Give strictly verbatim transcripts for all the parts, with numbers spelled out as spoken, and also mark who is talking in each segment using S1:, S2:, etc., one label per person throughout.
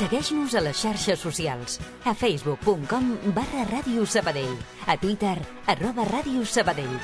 S1: Segueix-nos a les xarxes socials. A facebook punt com barra Ràdio Sabadell. A Twitter, arroba Ràdio Sabadell.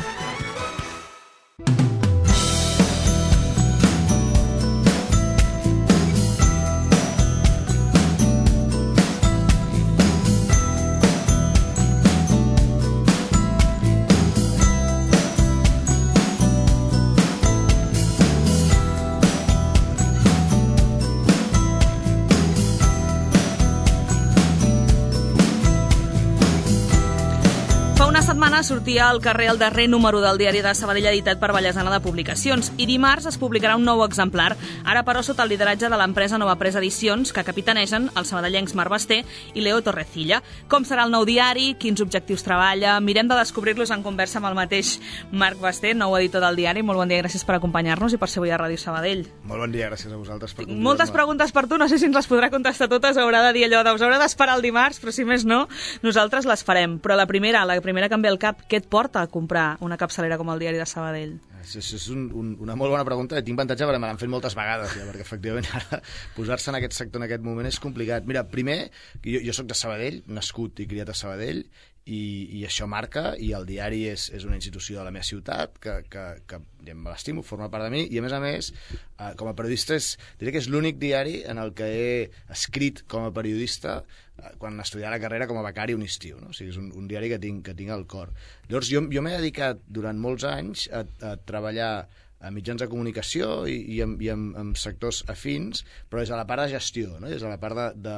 S2: Sortia al carrer el darrer número del diari de Sabadell editat per Vallesana de Publicacions i dimarts es publicarà un nou exemplar, ara però sota el lideratge de l'empresa Nova Presa Edicions, que capitanegen els sabadellencs Marc Basté i Leo Torrecilla. Com serà el nou diari, quins objectius treballa, mirem de descobrir-los en conversa amb el mateix Marc Basté, nou editor del diari. Molt bon dia, gràcies per acompanyar-nos i per ser avui a Ràdio Sabadell.
S3: Molt bon dia, gràcies a vosaltres per convidar-me.
S2: Moltes preguntes per tu, no sé si ens les podrà contestar totes, haurà de dir allò de us haurà d'esperar el dimarts, però si més no, nosaltres les farem. Però la primera, la primera que em ve al cap, què et porta a comprar una capçalera com el diari de Sabadell?
S3: Això és un, un, una molt bona pregunta. Tinc avantatge perquè me l'han fet moltes vegades, ja, perquè efectivament ara posar-se en aquest sector en aquest moment és complicat. Mira, primer, jo, jo soc de Sabadell, nascut i criat a Sabadell, i, i això marca, i el diari és, és una institució de la meva ciutat que, que, que ja me l'estimo, forma part de mi, i a més a més, eh, com a periodista, és, diré que és l'únic diari en el que he escrit com a periodista eh, quan estudiava la carrera com a becari un estiu, no? O sigui, és un, un diari que tinc, que tinc al cor. Llavors, jo, jo m'he dedicat durant molts anys a, a treballar a mitjans de comunicació i, i, en, i en, en sectors afins, però des de la part de gestió, no? Des de la part de, de,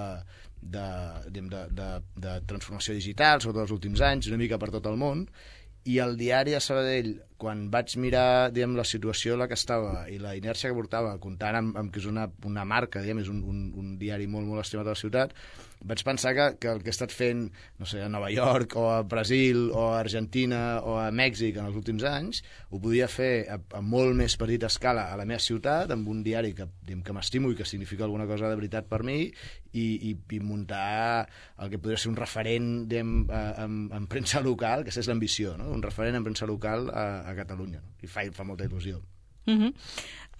S3: de, de, de, de, de transformació digital, sobretot els últims anys, una mica per tot el món, i el diari de Sabadell, quan vaig mirar diguem, la situació en la que estava i la inèrcia que portava, comptant amb, amb que és una, una marca, diguem, és un, un, un diari molt, molt estimat a la ciutat, vaig pensar que, que el que he estat fent, no sé, a Nova York, o a Brasil, o a Argentina, o a Mèxic en els últims anys, ho podia fer a, a molt més petita escala a la meva ciutat, amb un diari que, diguem, que m'estimo i que significa alguna cosa de veritat per mi, i, i, i muntar el que podria ser un referent diguem, en, en premsa local, que és l'ambició, no? Un referent en premsa local a, a Catalunya, no? I fa, fa molta il·lusió.
S2: Uh-huh.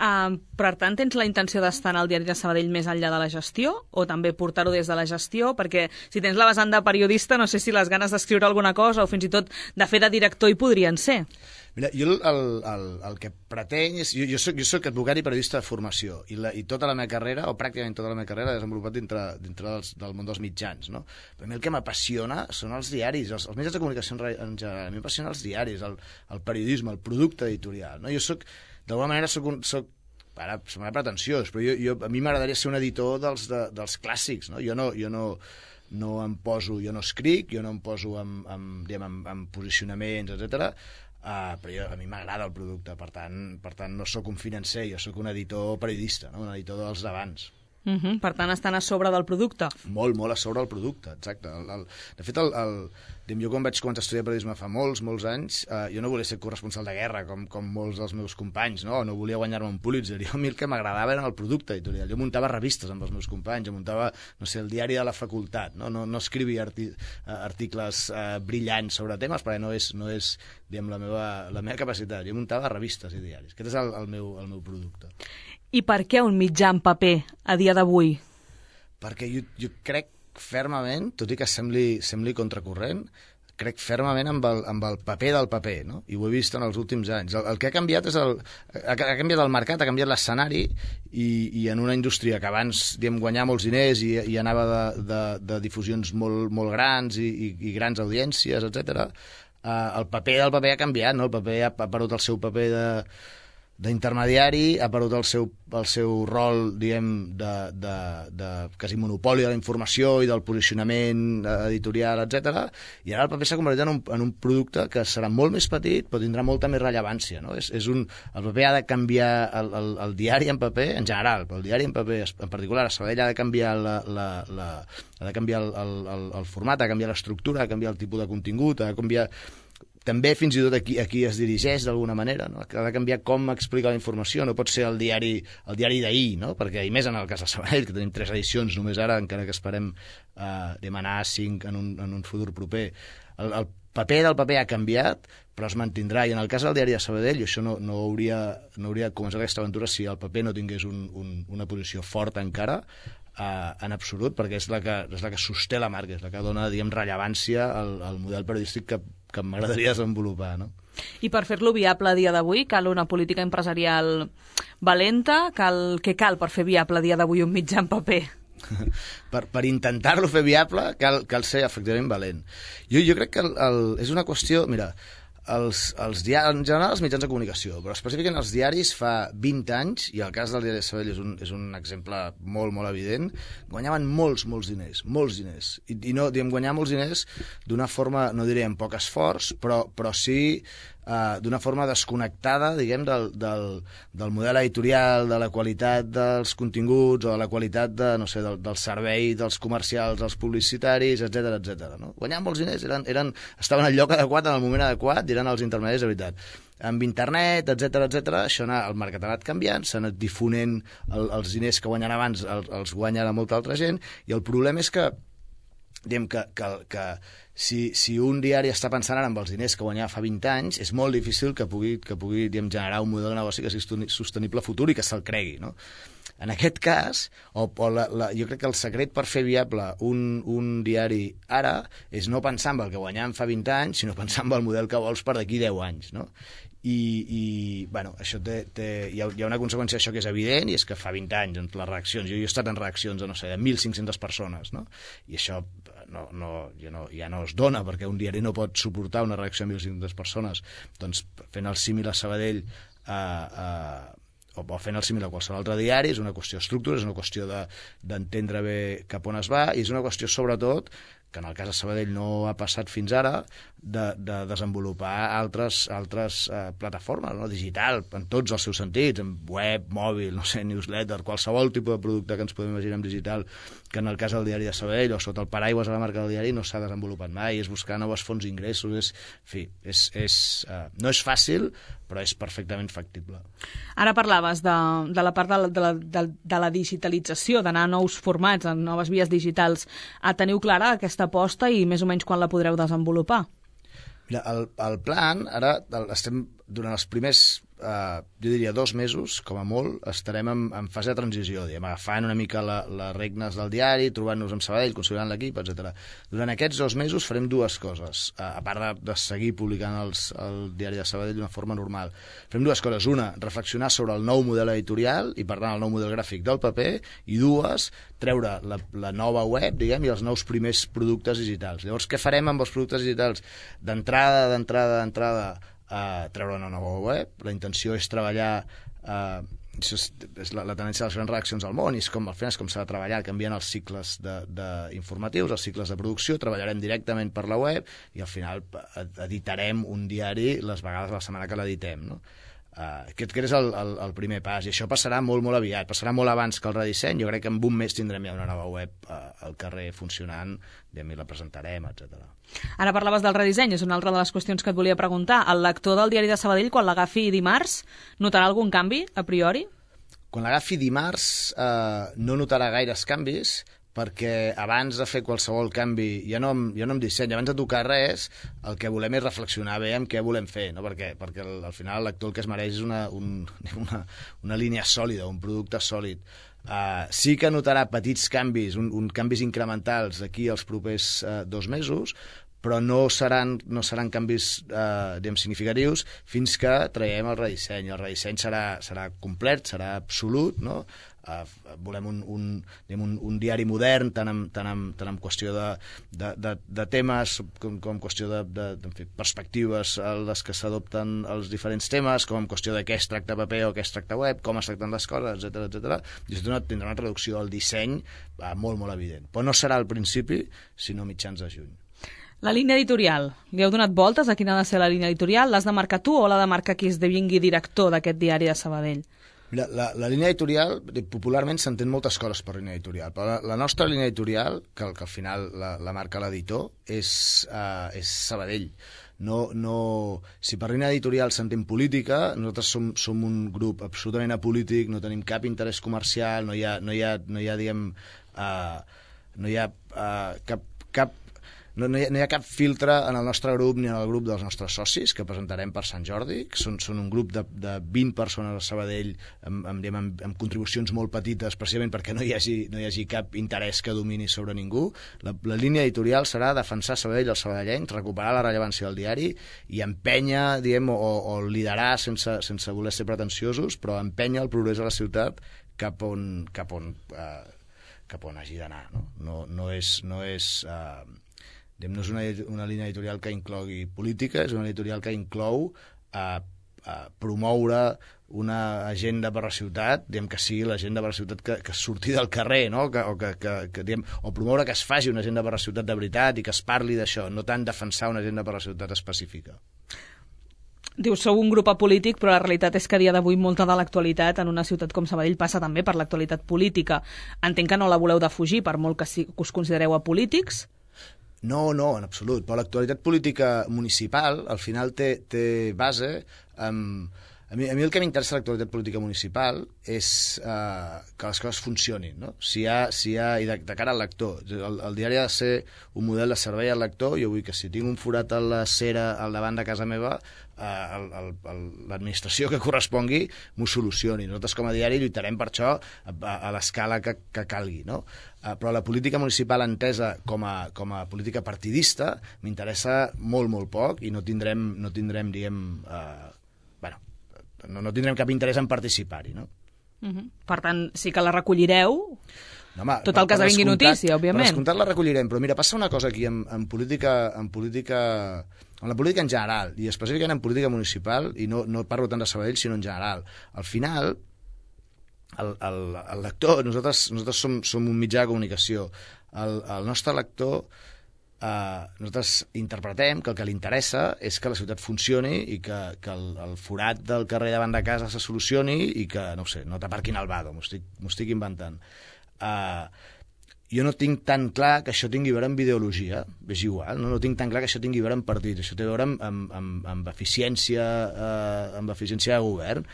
S2: Uh, per tant, tens la intenció d'estar en el diari de Sabadell més enllà de la gestió o també portar-ho des de la gestió? Perquè si tens la vessant de periodista, no sé si les ganes d'escriure alguna cosa o fins i tot de fer de director hi podrien ser.
S3: Mira, jo el, el, el que pretenc és... Jo, jo, soc, jo soc advocat i periodista de formació i, la, i tota la meva carrera, o pràcticament tota la meva carrera, l'he desenvolupat dintre, dintre dels, del món dels mitjans, no? Per mi el que m'apassiona són els diaris, els, els mitjans de comunicació en general. A mi m'apassiona els diaris, el, el periodisme, el producte editorial, no? Jo soc, d'alguna manera, soc un... Soc, ara semblarà pretensiós, però jo, jo, a mi m'agradaria ser un editor dels, de, dels clàssics, no? Jo no... Jo no no em poso, jo no escric, jo no em poso en, en, diguem, en, en posicionaments, etcètera. Uh, però jo, a mi m'agrada el producte, per tant, per tant no sóc un financer, jo sóc un editor periodista, no? Un editor dels d'abans.
S2: Uh-huh. Per tant, estan a sobre del producte.
S3: Molt, molt a sobre del producte, exacte. El, el, de fet, el, el, jo quan vaig començar a estudiar periodisme fa molts, molts anys, eh, jo no volia ser corresponsal de guerra, com, com molts dels meus companys, no? No volia guanyar-me un Pulitzer. Jo, a mi el que m'agradava era el producte editorial. Jo muntava revistes amb els meus companys, jo muntava, no sé, el diari de la facultat, no, no, no escrivia arti, articles eh, brillants sobre temes, perquè no és, no és diguem, la, meva, la meva capacitat. Jo muntava revistes i diaris. Aquest és el, el, meu, el meu producte.
S2: I per què un mitjà en paper a dia d'avui?
S3: Perquè jo, jo crec fermament, tot i que sembli, sembli contracorrent, crec fermament amb el, amb el paper del paper, no? I ho he vist en els últims anys. El, el que ha canviat és el, ha, ha canviat el mercat, ha canviat l'escenari, i, i en una indústria que abans diguem, guanyava molts diners i, i anava de, de, de difusions molt, molt grans i, i, i grans audiències, etcètera, eh, el paper del paper ha canviat, no? El paper ha, ha perdut el seu paper de d'intermediari, ha perdut el seu, el seu rol, diguem, de, de, de quasi monopoli de la informació i del posicionament editorial, etcètera, i ara el paper s'ha convertit en un, en un producte que serà molt més petit, però tindrà molta més rellevància, no? És, és un, el paper ha de canviar, el, el, el diari en paper, en general, però el diari en paper, en particular, a Sabadell ha de canviar la, la, la, ha de canviar el, el, el format, ha de canviar l'estructura, ha de canviar el tipus de contingut, ha de canviar... També fins i tot aquí, aquí es dirigeix d'alguna manera, no? Ha de canviar com explica la informació, no pot ser el diari el diari d'ahir, no? Perquè, i més en el cas de Sabadell, que tenim tres edicions només ara, encara que esperem eh, demanar cinc en un, en un futur proper. El, el paper del paper ha canviat, però es mantindrà, i en el cas del diari de Sabadell, això no, no, hauria, no hauria començat aquesta aventura si el paper no tingués un, un, una posició forta encara, uh, en absolut, perquè és la, que, és la que sosté la marca, és la que dona, diguem, rellevància al, al model periodístic que, que m'agradaria desenvolupar, no?
S2: I per fer-lo viable a dia d'avui cal una política empresarial valenta? Cal, què cal per fer viable a dia d'avui un mitjà en paper?
S3: per, per intentar-lo fer viable cal, cal ser efectivament valent. Jo, jo crec que el, el, és una qüestió... Mira, els, els diaris, en general els mitjans de comunicació, però específicament els diaris fa vint anys, i el cas del diari de Sabadell és un, és un exemple molt, molt evident, guanyaven molts, molts diners, molts diners. I, i no, diguem, guanyar molts diners d'una forma, no diré amb poc esforç, però, però sí uh, d'una forma desconnectada, diguem, del, del, del model editorial, de la qualitat dels continguts o de la qualitat de, no sé, del, del servei dels comercials, dels publicitaris, etcètera, etcètera. No? Guanyaven molts diners, eren, eren, estaven al lloc adequat, en el moment adequat, i eren els intermediaris de veritat. Amb internet, etcètera, etcètera, això anà, el mercat ha anat canviant, s'ha anat difonent el, els diners que guanyen abans, el, els guanya ara molta altra gent, i el problema és que, diguem, que, que, que si, si un diari està pensant ara en els diners que guanyava fa vint anys, és molt difícil que pugui, que pugui diguem, generar un model de negoci que sigui sostenible futur i que se'l cregui, no? En aquest cas, o, o la, la, jo crec que el secret per fer viable un, un diari ara és no pensar en el que guanyàvem fa vint anys, sinó pensar en el model que vols per d'aquí deu anys, no? I, i bueno, això té, té, hi, ha, hi ha una conseqüència d'això que és evident, i és que fa vint anys, les reaccions, jo, jo he estat en reaccions de, no sé, de mil cinc-centes persones, no? I això no, no, ja, no, ja no es dona, perquè un diari no pot suportar una reacció de mil cinc-centes persones. Doncs fent el símil a Sabadell, eh, eh, o fent el símil a qualsevol altre diari, és una qüestió d'estructura, és una qüestió d'entendre de, bé cap on es va, i és una qüestió, sobretot, que en el cas de Sabadell no ha passat fins ara, de, de desenvolupar altres, altres eh, plataformes, no? Digital, en tots els seus sentits, en web, mòbil, no sé, newsletter, qualsevol tipus de producte que ens podem imaginar en digital, que en el cas del diari de Sabadell o sota el paraigües de la marca del diari no s'ha desenvolupat mai, és buscar noves fonts d'ingressos, és, en fi, és, és, eh, no és fàcil, però és perfectament factible.
S2: Ara parlaves de, de la part de la, de la, de, de la digitalització, d'anar a nous formats, a noves vies digitals. Ah, teniu clara aquesta aposta i més o menys quan la podreu desenvolupar?
S3: Mira, el, el plan, ara el, estem durant els primers, eh, jo diria dos mesos, com a molt, estarem en, en fase de transició, diguem, agafant una mica la, les regnes del diari, trobant-nos amb Sabadell, consolidant l'equip, etcètera. Durant aquests dos mesos farem dues coses, eh, a part de, de seguir publicant els, el diari de Sabadell d'una forma normal. Farem dues coses. Una, reflexionar sobre el nou model editorial i, per tant, el nou model gràfic del paper, i dues, treure la, la nova web, diguem, i els nous primers productes digitals. Llavors, què farem amb els productes digitals? D'entrada, d'entrada, d'entrada, Uh, treure una nova web. La intenció és treballar, uh, això és, és la, la tendència de les grans reaccions al món, i és com, al final és com s'ha de treballar, canviant els cicles de, de informatius, els cicles de producció, treballarem directament per la web i al final editarem un diari les vegades a la setmana que l'editem, no? Uh, aquest és el, el, el primer pas, i això passarà molt, molt aviat, passarà molt abans que el redisseny. Jo crec que en un mes tindrem ja una nova web uh, al carrer funcionant, i la presentarem, etcètera.
S2: Ara parlaves del redisseny, és una altra de les qüestions que et volia preguntar. El lector del diari de Sabadell, quan l'agafi dimarts, notarà algun canvi, a priori?
S3: Quan l'agafi dimarts uh, no notarà gaires canvis, perquè abans de fer qualsevol canvi, ja no, ja no em disseny, abans de tocar res, el que volem és reflexionar bé en què volem fer, no? perquè, perquè al, al final el lector el que es mereix és una, un, una, una línia sòlida, un producte sòlid. Uh, sí que notarà petits canvis, un, un canvis incrementals d'aquí als propers uh, dos mesos, però no seran, no seran canvis eh, diguem, significatius fins que traiem el redisseny. El redisseny serà, serà complet, serà absolut, no? Eh, volem un, un, diguem, un, un diari modern, tant en, tant en, tant en qüestió de, de, de, de temes com, com en qüestió de, de, de en fi, perspectives a les que s'adopten els diferents temes, com en qüestió de què es tracta paper o què es tracta web, com es tracten les coses, etcètera, etcètera. I això tindrà una traducció al disseny eh, molt, molt evident. Però no serà al principi, sinó mitjans de juny.
S2: La línia editorial. Li heu donat voltes a quina ha de ser la línia editorial? L'has de marcar tu o l'ha de marcar qui esdevingui director d'aquest diari de Sabadell?
S3: Mira, la, la línia editorial, popularment s'entén moltes coses per línia editorial, però la, la nostra línia editorial, que, que al final la, la marca l'editor, és, uh, és Sabadell. No, no, si per línia editorial s'entén política, nosaltres som, som un grup absolutament apolític, no tenim cap interès comercial, no hi ha, no hi ha, no hi ha diguem, uh, no hi ha uh, cap, cap no, no, hi ha, no hi ha cap filtre en el nostre grup ni en el grup dels nostres socis que presentarem per Sant Jordi, que són, són un grup de, de vint persones a Sabadell amb, amb, amb, amb contribucions molt petites, precisament perquè no hi hagi, no hi hagi cap interès que domini sobre ningú. La, la línia editorial serà defensar Sabadell als sabadellencs, recuperar la rellevància del diari i empènyer, diem, o, o liderar sense, sense voler ser pretensiosos, però empènyer el progrés de la ciutat cap on, cap on, eh, cap on hagi d'anar. No? No, no és... No és eh, no és una, una línia editorial que inclogui política, és una editorial que inclou eh, eh, promoure una agenda per la ciutat, diguem, que sigui l'agenda per la ciutat que, que surti del carrer, no? que, o, que, que, que, diguem, o promoure que es faci una agenda per la ciutat de veritat i que es parli d'això, no tant defensar una agenda per la ciutat específica.
S2: Dius, sou un grup apolític, però la realitat és que a dia d'avui molta de l'actualitat en una ciutat com Sabadell passa també per l'actualitat política. Entenc que no la voleu defugir, per molt que, si, que us considereu apolítics.
S3: No, no, en absolut. Però l'actualitat política municipal, al final, té, té base... Um, a, mi, a mi el que m'interessa l'actualitat política municipal és uh, que les coses funcionin, no? Si hi ha, si hi ha, i de, de cara al lector. El, el diari ha de ser un model de servei al lector. Jo vull que si tinc un forat a la cera al davant de casa meva, uh, l'administració que correspongui m'ho solucioni. Nosaltres com a diari lluitarem per això a, a, a l'escala que, que calgui, no? Uh, però la política municipal entesa com a, com a política partidista m'interessa molt, molt poc i no tindrem, no tindrem diguem, uh, bueno, no, no tindrem cap interès en participar-hi, no?
S2: Uh-huh. Per tant, sí que la recollireu,
S3: no, home,
S2: tot el que esdevingui notícia, òbviament.
S3: Per descomptat la recollirem, però mira, passa una cosa aquí en, en política... En política en la política en general, i específicament en política municipal, i no, no parlo tant de Sabadell, sinó en general. Al final, el, el, el lector, nosaltres, nosaltres som, som un mitjà de comunicació, el, el nostre lector, eh, nosaltres interpretem que el que li interessa és que la ciutat funcioni i que, que el, el forat del carrer davant de casa se solucioni i que, no sé, no t'aparquin al vado, m'ho estic, m'ho estic inventant. Eh, jo no tinc tan clar que això tingui a veure amb ideologia, és igual, no, no tinc tan clar que això tingui a veure amb partits, això té a veure amb, amb, amb, amb eficiència, eh, amb eficiència de govern.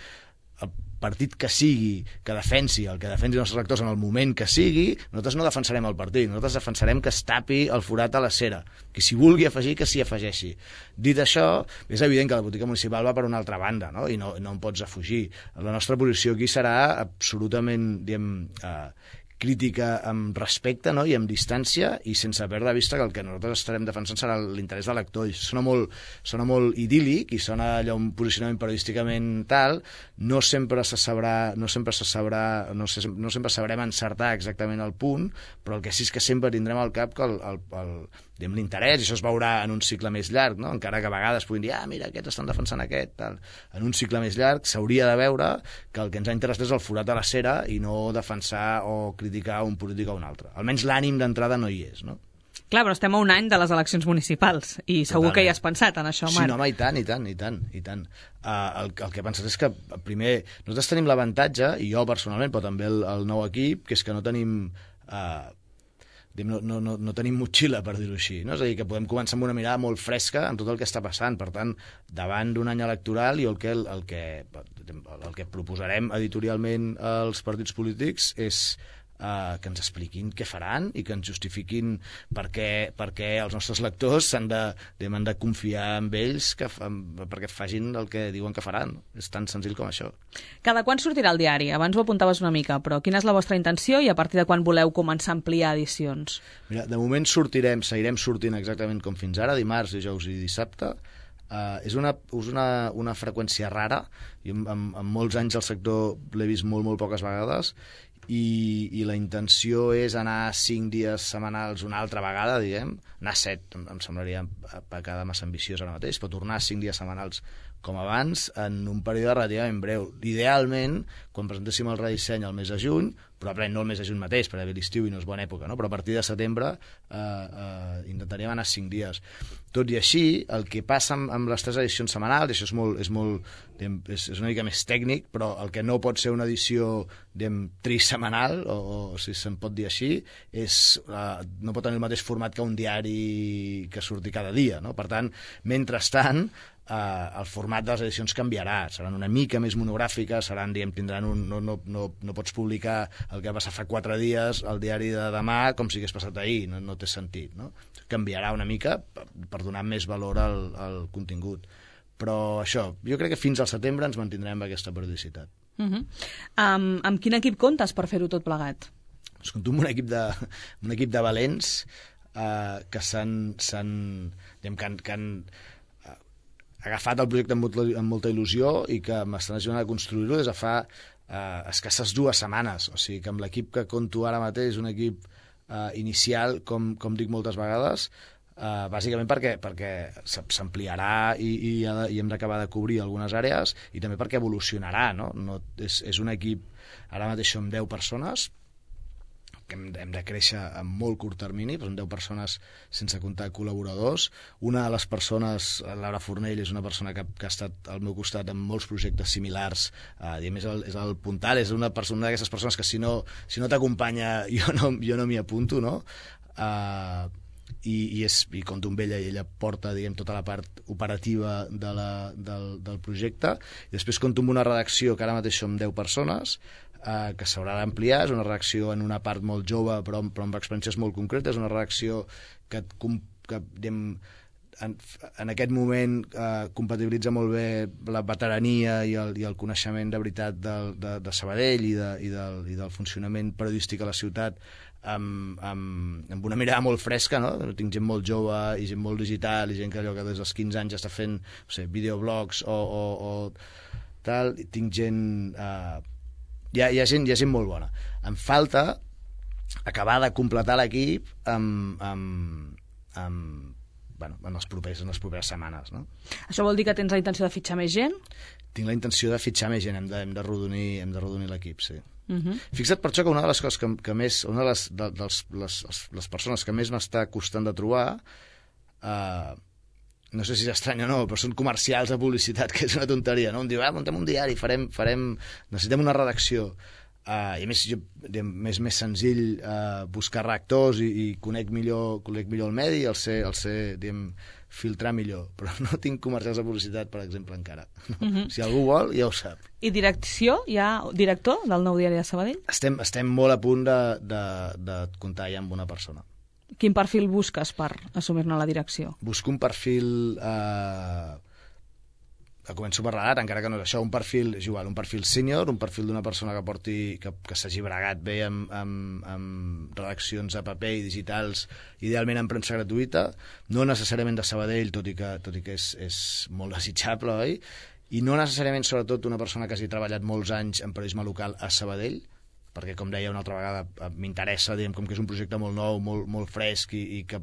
S3: El partit que sigui, que defensi el que defensi els nostres lectors en el moment que sigui, nosaltres no defensarem el partit, nosaltres defensarem que es tapi el forat a la cera, que si vulgui afegir, que s'hi afegeixi. Dit això, és evident que la política municipal va per una altra banda, no? I no, no en pots afugir. La nostra posició aquí serà absolutament, diguem, eh, crítica amb respecte, no? I amb distància i sense perdre de vista que el que nosaltres estarem defensant serà l'interès del lector. I sona molt, sona molt idíl·lic i sona allò un posicionament periodísticament tal, no sempre se sabrà, no sempre se sabrà, no, se, no sempre sabrem encertar exactament el punt, però el que sí és que sempre tindrem al cap que el, el, el, diguem, l'interès, i això es veurà en un cicle més llarg, no? Encara que a vegades puguin dir, ah, mira, aquests estan defensant aquest, tal. En un cicle més llarg s'hauria de veure que el que ens ha interessat és el forat a la cera i no defensar o criticar un polític o un altre. Almenys l'ànim d'entrada no hi és, no?
S2: Clar, però estem a un any de les eleccions municipals i segur Totalment. Que hi has pensat en això, Marc.
S3: Sí, no, home, i tant, i tant, i tant, i tant. Uh, el, el que he pensat és que, primer, nosaltres tenim l'avantatge, i jo personalment, però també el, el nou equip, que és que no tenim... Uh, No, no, no, no tenim motxilla, per dir-ho així, no? És a dir, que podem començar amb una mirada molt fresca en tot el que està passant. Per tant, davant d'un any electoral, i el que, el, que, el que proposarem editorialment als partits polítics és Uh, que ens expliquin què faran i que ens justifiquin per què, per què els nostres lectors s'han de, han de confiar en ells que, perquè facin el que diuen que faran. És tan senzill com això.
S2: Cada quan sortirà el diari? Abans ho apuntaves una mica, però quina és la vostra intenció i a partir de quan voleu començar a ampliar edicions?
S3: Mira, de moment sortirem, seguirem sortint exactament com fins ara, dimarts, dijous i dissabte. Uh, és una, és una, una freqüència rara. Jo en, en, en molts anys al sector l'he vist molt, molt poques vegades. I, i la intenció és anar cinc dies setmanals una altra vegada, diguem, anar set, em, em semblaria a pecada massa ambiciós ara mateix, però tornar cinc dies setmanals com abans en un període relativament breu. Idealment, quan presentéssim el redisseny al mes de juny, probablement no el mes de juny mateix, perquè ve l'estiu i no és bona època, no? Però a partir de setembre eh, eh, intentaríem anar cinc dies. Tot i així, el que passa amb, amb les tres edicions setmanals, i això és, molt, és, molt, diguem, és, és una mica més tècnic, però el que no pot ser una edició diguem, trisetmanal, o, o si se'n pot dir així, és, eh, no pot tenir el mateix format que un diari que surti cada dia. No? Per tant, mentrestant, Uh, el format de les edicions canviarà, seran una mica més monogràfiques, seran, diguem, tindran un, no, no, no, no pots publicar el que va passar fa quatre dies al diari de demà com si hagués passat ahir, no, no té sentit, no? Canviarà una mica per, per donar més valor al, al contingut, però això, jo crec que fins al setembre ens mantindrem amb aquesta periodicitat.
S2: Uh -huh. um, amb quin equip comptes per fer-ho tot plegat?
S3: Pues compto amb un equip de, un equip de valents uh, que s'han, s'han, diguem, que han, que han agafat el projecte amb molta, amb molta il·lusió i que m'estan ajudant a construir-lo des de fa eh, escasses dues setmanes. O sigui que amb l'equip que conto ara mateix, un equip eh, inicial, com, com dic moltes vegades, eh, bàsicament perquè, perquè s'ampliarà i, i, ha de, i hem d'acabar de cobrir algunes àrees i també perquè evolucionarà, no? No, és, és un equip, ara mateix som deu persones, que hem, hem de créixer en molt curt termini, però són deu persones sense comptar col·laboradors. Una de les persones, Laura Fornell, és una persona que, que ha estat al meu costat en molts projectes similars, eh, i a més és el, és el puntal, és una persona d'aquestes persones que si no, si no t'acompanya jo no, jo no m'hi apunto, no? Uh, i, i, és, i compto amb ella i ella porta, diguem, tota la part operativa de la, del, del projecte. I després compto amb una redacció que ara mateix som deu persones, Uh, que s'haurà d'ampliar, és una redacció en una part molt jove però, però amb experiències molt concretes, és una redacció que, que diguem, en, en aquest moment uh, compatibilitza molt bé la veterania i el, i el coneixement de veritat del, de, de Sabadell i, de, i, del, i del funcionament periodístic a la ciutat amb, amb, amb una mirada molt fresca, no? Tinc gent molt jove i gent molt digital i gent que, allò que des dels quinze anys està fent, no sé, videoblogs o, o, o tal, i tinc gent... Uh, Hi ha, hi, ha gent, hi ha gent molt bona. Em falta acabar de completar l'equip amb, amb, amb, bueno, en, els propers, en les properes setmanes. No?
S2: Això vol dir que tens la intenció de fitxar més gent?
S3: Tinc la intenció de fitxar més gent, hem de, hem de rodonir, hem de rodonir l'equip, sí.
S2: Uh -huh.
S3: Fixa't per això que una de les coses que, que més, una de les, de, dels, les, les persones que més m'està costant de trobar, eh, no sé si és estrany o no, però són comercials de publicitat, que és una tonteria, no? Em diu, ah, muntem un diari, farem, farem... necessitem una redacció. Uh, I a més, jo, és més senzill uh, buscar redactors i, i conec millor, conec millor el medi, el sé, el sé diguem, filtrar millor, però no tinc comercials de publicitat, per exemple, encara. No? Uh -huh. Si algú vol, ja ho sap.
S2: I direcció? Hi ha director del Nou Diari de Sabadell?
S3: Estem, estem molt a punt de, de, de comptar ja amb una persona.
S2: Quin perfil busques per assumir-ne la direcció?
S3: Busco un perfil... Eh, començo per l'edat, encara que no és això, un perfil, és igual, un perfil sènior, un perfil d'una persona que porti, que, que s'hagi bregat bé amb, amb, amb redaccions a paper i digitals, idealment en premsa gratuïta, no necessàriament de Sabadell, tot i que, tot i que és, és molt desitjable, oi? I no necessàriament, sobretot, una persona que hagi treballat molts anys en periodisme local a Sabadell, perquè, com deia una altra vegada, m'interessa, diguem, com que és un projecte molt nou, molt, molt fresc i, i que,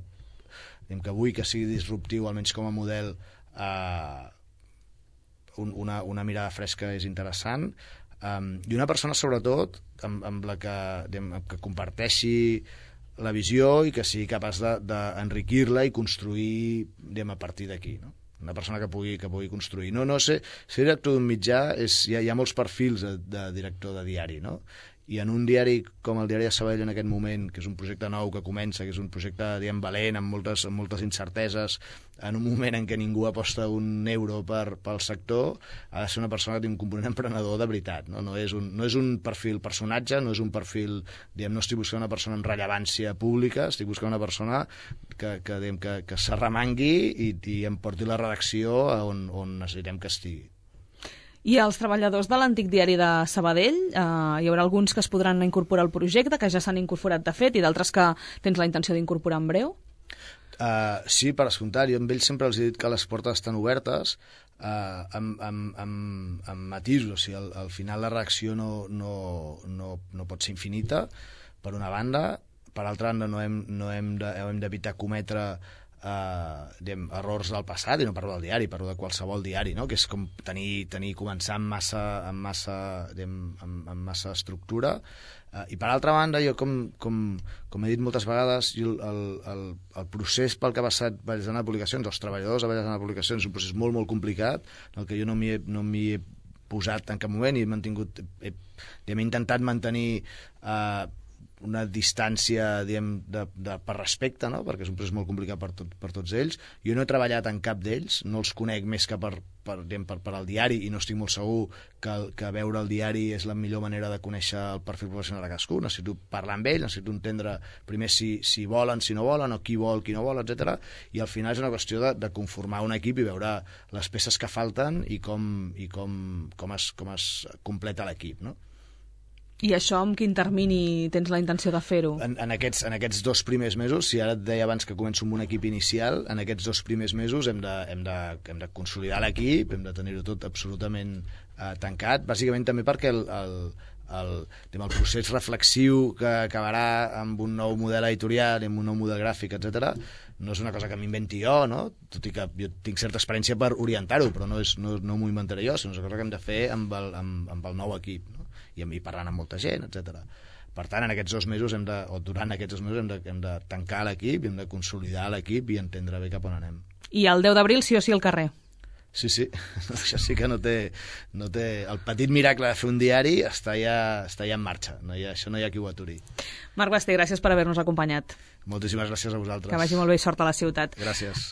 S3: diguem, que vull que sigui disruptiu, almenys com a model, eh, una, una mirada fresca és interessant, um, i una persona, sobretot, amb, amb la que, diguem, que comparteixi la visió i que sigui capaç d'enriquir-la de, i construir, diguem, a partir d'aquí, no? Una persona que pugui, que pugui construir. No, no sé, ser director d'un mitjà, és, hi, ha, hi ha molts perfils de, de director de diari, no? I en un diari com el Diari de Sabadell en aquest moment, que és un projecte nou que comença, que és un projecte, diguem, valent, amb moltes, amb moltes incerteses, en un moment en què ningú aposta un euro per, pel sector, ha de ser una persona que té un component emprenedor de veritat, no? No és un, no és un perfil personatge, no és un perfil, diguem, no estic buscant una persona amb rellevància pública, estic buscant una persona que, que, diguem, que, que s'arremangui i, i em porti la redacció on, on necessitem que estigui.
S2: I els treballadors de l'antic diari de Sabadell, eh, hi haurà alguns que es podran incorporar al projecte, que ja s'han incorporat de fet, i d'altres que tens la intenció d'incorporar en breu?
S3: Uh, sí, per escoltar, jo amb ells sempre els he dit que les portes estan obertes, uh, amb, amb, amb, amb matisos, o sigui, al, al final la reacció no, no, no, no pot ser infinita, per una banda, per altra banda no hem, no hem de, hem d'evitar cometre Uh, diguem, errors del passat, i no parlo del diari, parlo de qualsevol diari, no? Que és com tenir, tenir començar amb massa, amb massa, diguem, amb, amb massa estructura, uh, i per altra banda jo com, com, com he dit moltes vegades, jo el, el, el procés pel que ha passat Vallesana de Publicacions, els treballadors de Vallesana de Publicacions, és un procés molt molt complicat, en el que jo no m'hi he, no m'hi he posat en cap moment i he mantingut, he, he, he intentat mantenir uh, una distància, diguem, de, de, per respecte, no? Perquè és un procés molt complicat per, tot, per tots ells. Jo no he treballat en cap d'ells, no els conec més que per, per, diguem, per, per al diari, i no estic molt segur que, que veure el diari és la millor manera de conèixer el perfil professional de cadascú. Necessito parlar amb ells, necessito entendre primer si, si volen, si no volen, o qui vol, qui no vol, etcètera. I al final és una qüestió de, de conformar un equip i veure les peces que falten i com, i com, com, es, com es completa l'equip, no?
S2: I això amb quin termini tens la intenció de fer-ho?
S3: En, en, aquests, en aquests dos primers mesos, si ara et deia abans que començo amb un equip inicial, en aquests dos primers mesos hem de, hem de, hem de consolidar l'equip, hem de tenir-ho tot absolutament eh, tancat, bàsicament també perquè el, el, el, el procés reflexiu que acabarà amb un nou model editorial, amb un nou model gràfic, etcètera, no és una cosa que m'inventi jo, no? Tot i que jo tinc certa experiència per orientar-ho, però no, és, no, no m'ho inventaré jo, sinó és una cosa que hem de fer amb el, amb, amb el nou equip, no? I, i parlant amb molta gent, etcètera. Per tant, en aquests dos mesos, hem de, o durant aquests dos mesos, hem de, hem de tancar l'equip, hem de consolidar l'equip i entendre bé cap on anem.
S2: I el deu d'abril sí o sí al carrer?
S3: Sí, sí, això sí que no té, no té... El petit miracle de fer un diari està ja, està ja en marxa, no hi ha, això no hi ha qui ho aturi.
S2: Marc Basté, gràcies per haver-nos acompanyat.
S3: Moltíssimes gràcies a vosaltres.
S2: Que vagi molt bé i sort a la ciutat.
S3: Gràcies.